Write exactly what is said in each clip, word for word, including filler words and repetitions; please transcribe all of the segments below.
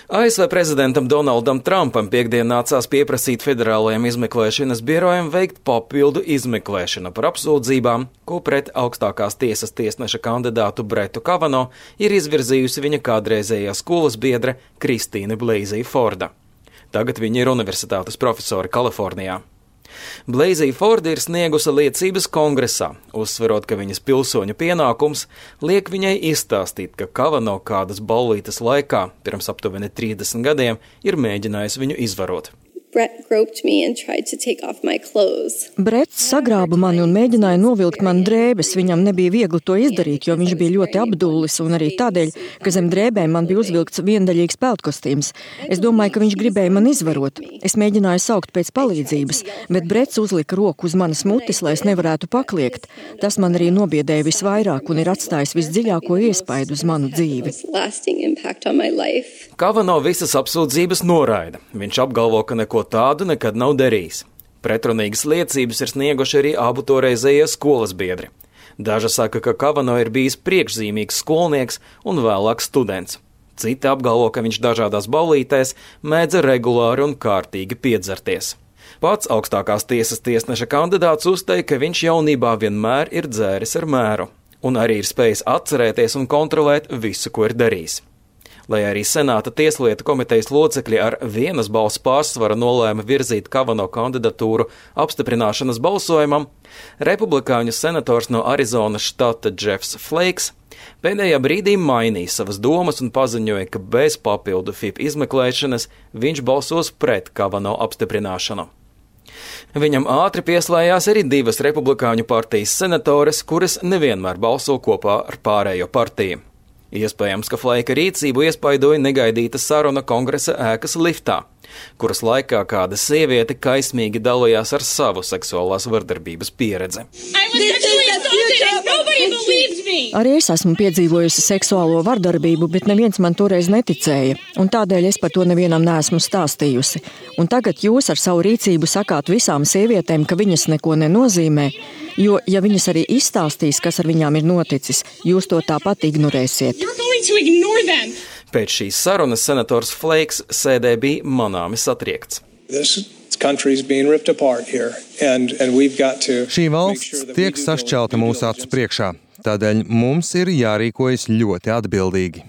A S V prezidentam Donaldam Trumpam piekdien nācās pieprasīt federālajiem izmeklēšanas birojiem veikt papildu izmeklēšanu par apsūdzībām, ko pret augstākās tiesas tiesneša kandidātu Bretu Kavano ir izvirzījusi viņa kādreizējā skolas biedre Kristīne Blasey Forda. Tagad viņa ir universitātes profesore Kalifornijā. Blasey Forda ir sniegusi liecības kongresā, uzsverot, ka viņas pilsoņu pienākums liek viņai izstāstīt, ka Kavano kādas ballītes laikā, pirms aptuveni trīsdesmit gadiem, ir mēģinājis viņu izvarot. Brett groped me and tried to take off my clothes. Bretts sagrāba mani un mēģināja novilkt man drēbes. Viņam nebija viegli to izdarīt, jo viņš bija ļoti apdullis un arī tādēļ, ka zem drēbēm man bija uzvilkts viendaļīgs peltkostīms. Es domāju, ka viņš gribēja man izvarot. Es mēģināju saukt pēc palīdzības, bet Bretts uzlika roku uz manas mutes, lai es nevarētu pakliegt. Tas man arī nobiedēja visvairāk un ir atstājis visdziļāko iespaidu uz manu dzīvi. Kavano visas apsūdzības noraida. Viņš apgalvo, ka neko tādu nekad nav darījis. Pretrunīgas liecības ir snieguši arī abu toreizējie skolas biedri. Daži saka, ka Kavano ir bijis priekšzīmīgs skolnieks un vēlāk students. Citi apgalvo, ka viņš dažādās ballītēs mēdza regulāri un kārtīgi piedzerties. Pats augstākās tiesas tiesneša kandidāts uzteica, ka viņš jaunībā vienmēr ir dzēris ar mēru un arī ir spējis atcerēties un kontrolēt visu, ko ir darījis. Lai arī Senāta tieslietu komitejas locekļi ar vienas balss pārsvaru nolēma virzīt Kavano kandidatūru apstiprināšanas balsojumam, republikāņu senators no Arizonas štata Jeffs Flakes pēdējā brīdī mainīja savas domas un paziņoja, ka bez papildu F I P izmeklēšanas viņš balsos pret Kavano apstiprināšanu. Viņam ātri pieslējās arī divas republikāņu partijas senatores, kuras nevienmēr balso kopā ar pārējo partiju. Iespējams, ka Flaka rīcību iespaidoja negaidīta saruna kongresa ēkas liftā, kuras laikā kāda sieviete kaismīgi dalījās ar savu seksuālās vardarbības pieredzi. Arī es esmu piedzīvojusi seksuālo vardarbību, bet neviens man toreiz neticēja, un tādēļ es par to nevienam neesmu stāstījusi. Un tagad jūs ar savu rīcību sakāt visām sievietēm, ka viņas neko nenozīmē, jo, ja viņas arī izstāstīs, kas ar viņām ir noticis, jūs to tāpat ignorēsiet. Pēc šīs sarunas senators Flakes sēdē bija manāmi satriekts. Šī valsts tiek sašķelta mūsu acu priekšā, tādēļ mums ir jārīkojas ļoti atbildīgi.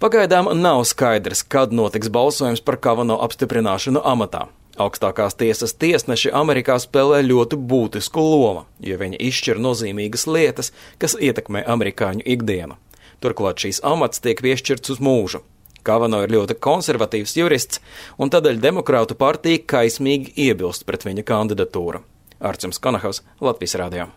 Pagaidām nav skaidrs, kad notiks balsojums par Kavano apstiprināšanu amatā. Augstākās tiesas tiesneši Amerikā spēlē ļoti būtisku lomu, jo viņi izšķir nozīmīgas lietas, kas ietekmē amerikāņu ikdienu. Turklāt šīs amats tiek piešķirts uz mūžu. Kavano ir ļoti konservatīvs jurists, un tādēļ demokrātu partija kaismīgi iebilst pret viņa kandidatūru. Arcims Kanahaus, Latvijas radio.